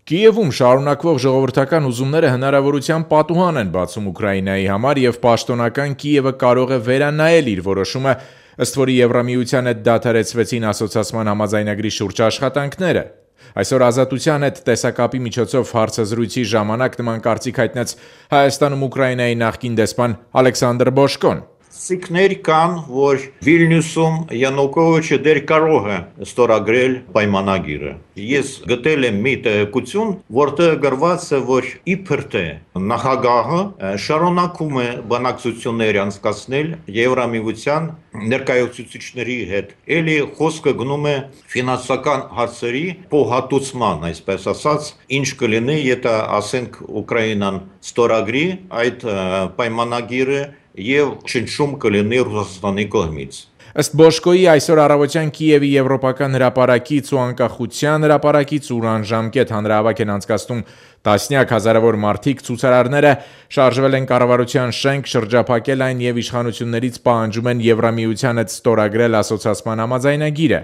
Կիևում շարունակվող ժողովրդական ուզումները հնարավորության պատուհան են բացում Ուկրաինայի համար եւ պաշտոնական Կիևը կարող է վերանայել իր որոշումը, ըստ որի Եվրամիության հետ դադարեցվեցին ասոցիացման համաձայնագրի շուրջ աշխատանքները։ Այսօր Ազատության հետ տեսակապի միջոցով հարցազրույցի ժամանակ նման կարծիք հայտնեց Հայաստանում Ուկրաինայի նախկին դեսպան Ալեքսանդր Բոշկոն։ Սիկներ կան, որ Վիլնյուսում Յանուկովիչը դեռ կարող է ստորագրել պայմանագիրը։ Ես գտել եմ մի տեղեկություն, որտեղ գրված է, որ իբր թե նախագահը շարունակում է բանակցություններ անցկացնել Եվրամիության ներկայացուցիչների հետ։ Էլի խոսքը գնում է ֆինանսական հարցերի փոխհատուցման, այսպես ասած, ինչ կլինի, եթե ասենք Ուկրաինան ստորագրի այդ պայմանագիրը եւ չնչում կլինի Ռուսաստանի կողմից։ Ըստ Բոշկոյի այսօր առավոտյան Կիևի Եվրոպական հրապարակից ու անկախության հրապարակից ուրան ժամկետ հանրահավաք են անցկացնում տասնյակ հազարավոր մարդիկ, ցուցարարները շարժվել են կառավարության շենք, շրջափակել այն եւ իշխանություններից պահանջում են Եվրամիության հետ ստորագրել ասոցիացման համաձայնագիրը։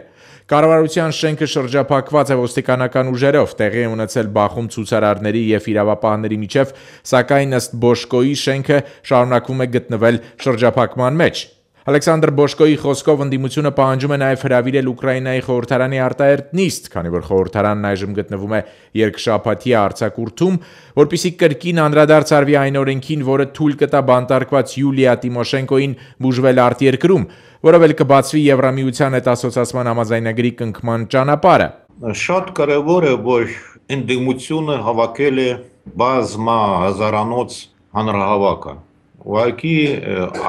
Կառավարության շենքը շրջափակված է ոստիկանական ուժերով, տեղի է ունեցել բախում ցուցարարների եւ իրավապահների միջև, սակայն ըստ Բոշկոյի շենքը շարունակվում է գտնվել շրջափակման մեջ։ Ալեքսանդր Բոշկոյի խոսքով ընդդիմությունը պահանջում է նաև հրավիրել Ուկրաինայի խորհրդարանի արտահերթ նիստ, քանի որ խորհրդարանն այժմ գտնվում է երկշաբաթյա արձակուրդում, որպեսզի կրկին անդրադարձ արվի այն օրենքին, որը թույլ կտա բանտարկված Յուլիա Տիմոշենկոին բուժվել արտերկրում, որով էլ կբացվի Եվրամիության հետ ասոցիացման համաձայնագրի կնքման ճանապարհը։ Շատ կարևոր է, որ ընդդիմությունը հավաքել է բազմա հազարանոց հանրահավաքը։ Ուղղակի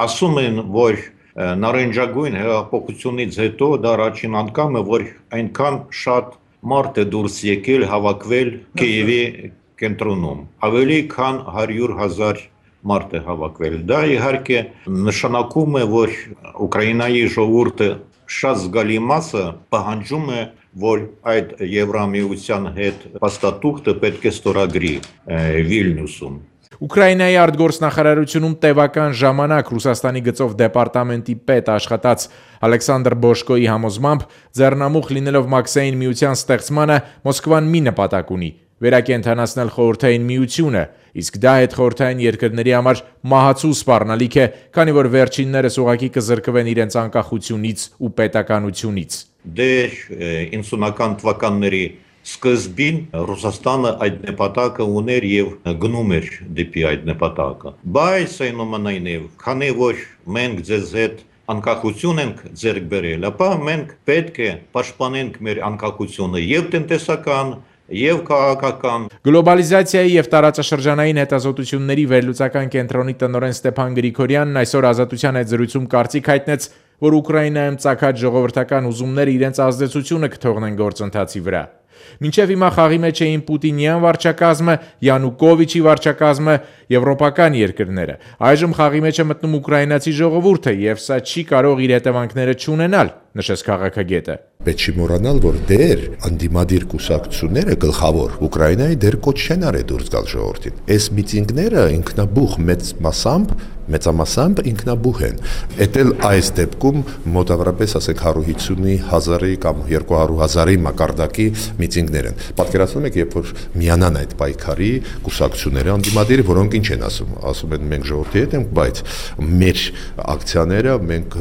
ասում են, որ նարնջագույն հեղափոխությունից հետո դա առաջին անգամ է, որ այնքան շատ մարդ է դուրս եկել հավաքվել Կիևի կենտրոնում։ Ավելի քան 100,000 մարդ է հավաքվել։ Դա իհարկե նշանակում է, որ Ուկրաինայի ժողովուրդը շատ զգալի մասը պահանջում է, որ այդ Եվրամիության հետ փաստաթուղթը պետք է ստորագրի Վիլնյուսում։ Ուկրաինայի արտգործնախարարությունում տևական ժամանակ Ռուսաստանի գծով դեպարտամենտի պետ աշխատած Ալեքսանդր Բոշկոյի համոզմամբ ձեռնամուխ լինելով Մաքսային միության ստեղծմանը Մոսկվան մի նպատակ ունի՝ վերակենդանացնել խորհրդային միությունը, իսկ դա հետխորհրդային երկրների համար մահացու սպառնալիք է, քանի որ վերջիններս ուղղակի կզրկվեն իրենց անկախությունից ու պետականությունից։ Դեռ 90-ական թվականների սկզբին Ռուսաստանը այդ նպատակը ուներ եւ գնում էր դեպի այդ նպատակը։ Բայց այնուամենայնիվ, քանի որ մենք ձեզ հետ անկախություն ենք ձեռք բերել, ապա մենք պետք է պաշտպանենք մեր անկախությունը եւ տնտեսական, եւ քաղաքական։ Գլոբալիզացիայի եւ տարածաշրջանային հետազոտությունների վերլուծական կենտրոնի տնօրեն Ստեփան Գրիգորյանն այսօր Ազատության հետ զրույցում կարծիք հայտնեց, որ Ուկրաինայում ծագած ժողովրդական ուզումները իրենց ազդեցությունը կթողնեն գործընթացի վրա։ Մինչև հիմա խաղի մեջ էին Պուտինյան վարչակազմը, Յանուկովիչի վարչակազմը, եվրոպական երկրները։ Այժմ խաղի մեջ է մտնում ուկրաինացի ժողովուրդը եւ սա չի կարող իր հետևանքները չունենալ, նշեց քաղաքագետը։ Պետք չի մոռանալ, որ դեր անդիմադիր կուսակցությունները գլխավոր Ուկրաինայի դեր կոչ չեն արել դուրս գալ ժողովրդին։ Այս միտինգները ինքնաբուխ մեծամասամբ ինքնաբուխ են։ Էդ էլ այս դեպքում մոտավորապես ասենք 150,000-ի կամ 200,000-ի մակարդակի միտինգներ են։ Պատկերացնում եք, երբ որ միանան այդ պայքարի կուսակցությունները անդիմադիր, որոնք ինչ են ասում։ Ասում են մենք ժողովրդի հետ ենք, բայց մեր ակցիաները մենք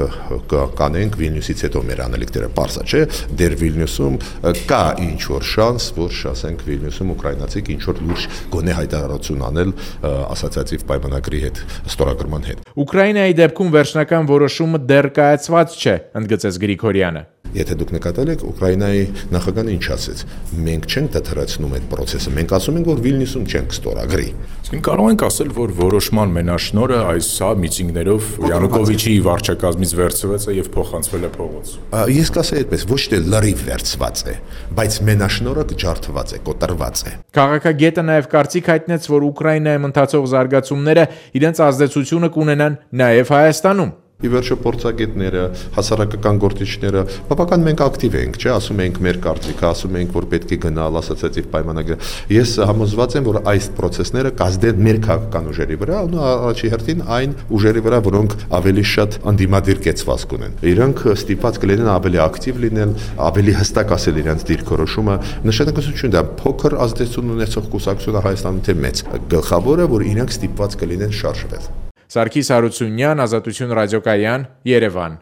կանենք Վիլնյուսից հետո մեր անելիքները պարզա չէ։ Դեր Վիլնյուսում կա ինչ որ շանս, որ ասենք Վիլնյուսում ուկրաինացիք ինչ որ լուրջ գոնե հայտարարություն անել ասոցիատիվ պայմանագրի հետ ստորագրման հետ։ Ուկրաինայի դեպքում վերջնական որոշումը դեռ կայացված չէ, ընդգծեց Գրիգորյանը։ Եթե դուք նկատել եք, Ուկրաինայի նախագահն ինչ ասեց, մենք չենք դադարեցնում այդ process-ը, մենք ասում ենք, որ Վիլնյուսում չենք ստորագրի։ Իսկ կարող ենք ասել, որ որոշման մենաշնորհը այս միտինգներով Յանուկովիչի վարչակազմից վերցված է եւ փոխանցվել է փողոց։ Ես կասեի այդպես, ոչ թե լրիվ վերցված է, բայց մենաշնորհը ջարդված է, կոտրված է։ Քաղաքագետը նաեւ կարծիք հայտնեց, որ Ուկրաինայում ընթացող զարգացումները իրենց ազդեցությունը կունենան նաեւ Հայաստանում։ Ի վերջո փորձագետները, հասարակական գործիչները բավական մենք ակտիվ ենք, չէ, ասում ենք մեր կարծիքը, ասում ենք, որ պետք է գնալ ասոցիատիվ պայմանագիր։ Ես համոզված եմ, որ այս process-ները կազդեն մեր քաղաքական ուժերի վրա, ու առաջի հերթին այն ուժերի վրա, որոնք ավելի շատ անդիմադիր կեցվածք ունեն։ Իրանք ստիպված կլինեն ավելի ակտիվ լինել, ավելի հստակ ասել իրենց դիրքորոշումը, նշանակություն դա փոքր ազդեցություն ունեցող կուսակցությունը Հայաստանում թե մեծ։ Գլխավորը, որ իրանք ստիպված կլինեն շարժվել։ Սարգիս Հարությունյան, Ազատություն ռադիոկայան, Երևան։